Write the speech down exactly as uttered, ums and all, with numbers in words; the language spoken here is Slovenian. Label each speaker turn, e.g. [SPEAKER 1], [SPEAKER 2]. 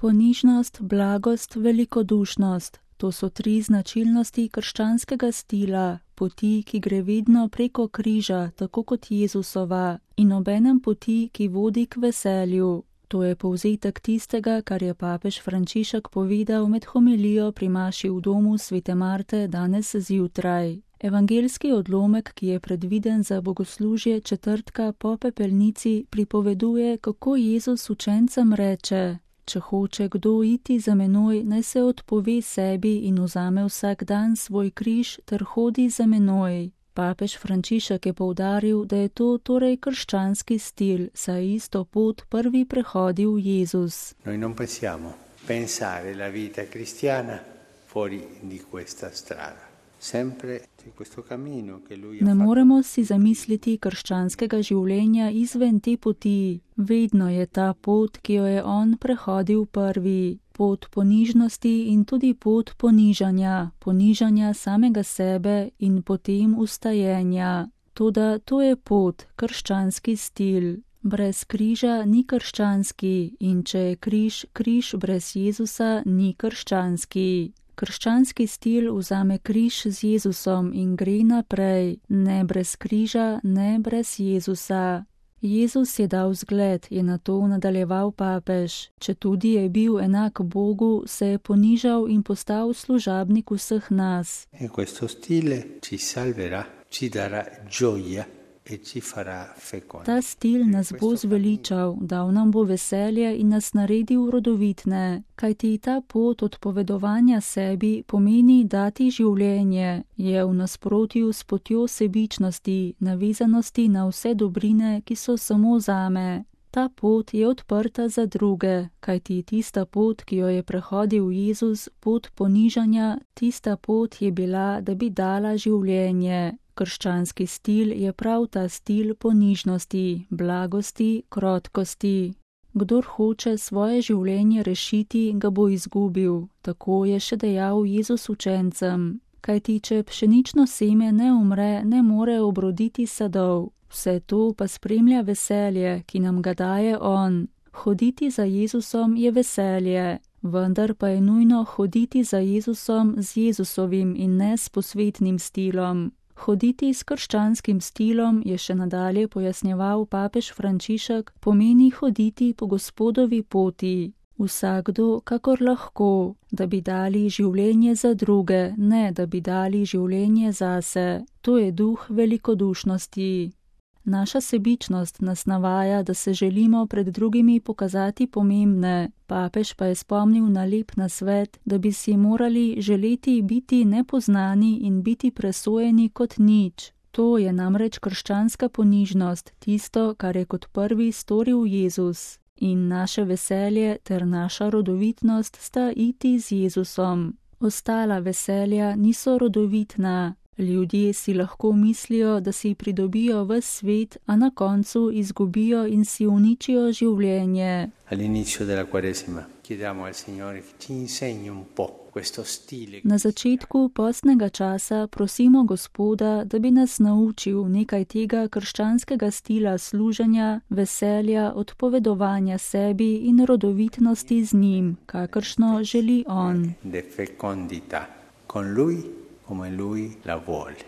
[SPEAKER 1] ponižnost, blagost, velikodušnost. To so tri značilnosti krščanskega stila, poti, ki gre vedno preko križa, tako kot Jezusova, in obenem poti, ki vodi k veselju. To je povzetek tistega, kar je papež Frančišek povedal med homilijo pri maši v domu svete Marte danes zjutraj. Evangeljski odlomek, ki je predviden za bogoslužje četrtka po pepelnici, pripoveduje, kako Jezus učencem reče: Če hoče kdo iti za menoj, naj se odpove sebi in vzame vsak dan svoj križ ter hodi za menoj. Papež Frančišek je poudaril, da je to torej krščanski stil, saj isto pot prvi prehodil Jezus.
[SPEAKER 2] Noi non possiamo pensare la vita cristiana fuori di questa strada.
[SPEAKER 1] Ne moremo si zamisliti krščanskega življenja izven te poti. Vedno je ta pot, ki jo je on prehodil prvi. Pot ponižnosti in tudi pot ponižanja, ponižanja samega sebe in potem ustajenja. Toda to je pot, krščanski stil. Brez križa ni krščanski in če je križ, križ brez Jezusa ni krščanski. Krščanski stil vzame križ z Jezusom in gre naprej, ne brez križa, ne brez Jezusa. Jezus je dal zgled, je nato nadaljeval papež. Četudi je bil enak Bogu, se je ponižal in postal služabnik vseh nas.
[SPEAKER 2] In questo stile ci salverà, ci darà gioia.
[SPEAKER 1] Ta stil nas bo zveličal, dal nam bo veselje in nas naredil rodovitne, kajti ta pot odpovedovanja sebi pomeni dati življenje, je v nasprotju s potjo sebičnosti, navezanosti na vse dobrine, ki so samo zame. Ta pot je odprta za druge, kajti tista pot, ki jo je prehodil Jezus, pot ponižanja, tista pot je bila, da bi dala življenje. Krščanski stil je prav ta stil ponižnosti, blagosti, krotkosti. Kdor hoče svoje življenje rešiti, ga bo izgubil, tako je še dejal Jezus učencem. Kajti, če pšenično seme ne umre, ne more obroditi sadov. Vse to pa spremlja veselje, ki nam ga daje on. Hoditi za Jezusom je veselje, vendar pa je nujno hoditi za Jezusom z Jezusovim in ne s posvetnim stilom. Hoditi s krščanskim stilom, je še nadalje pojasnjeval papež Frančišek, pomeni hoditi po Gospodovi poti. Vsakdo, kakor lahko, da bi dali življenje za druge, ne da bi dali življenje zase. To je duh velikodušnosti. Naša sebičnost nas navaja, da se želimo pred drugimi pokazati pomembne. Papež pa je spomnil na lep nasvet, da bi si morali želeti biti nepoznani in biti presojeni kot nič. To je namreč krščanska ponižnost, tisto, kar je kot prvi storil Jezus. In naše veselje ter naša rodovitnost sta iti z Jezusom. Ostala veselja niso rodovitna. Ljudje si lahko mislijo, da si pridobijo ves svet, a na koncu izgubijo in si uničijo življenje. Na začetku postnega časa prosimo Gospoda, da bi nas naučil nekaj tega krščanskega stila služenja, veselja, odpovedovanja sebi in rodovitnosti z njim, kakršno želi on.
[SPEAKER 2] Come lui la vuole.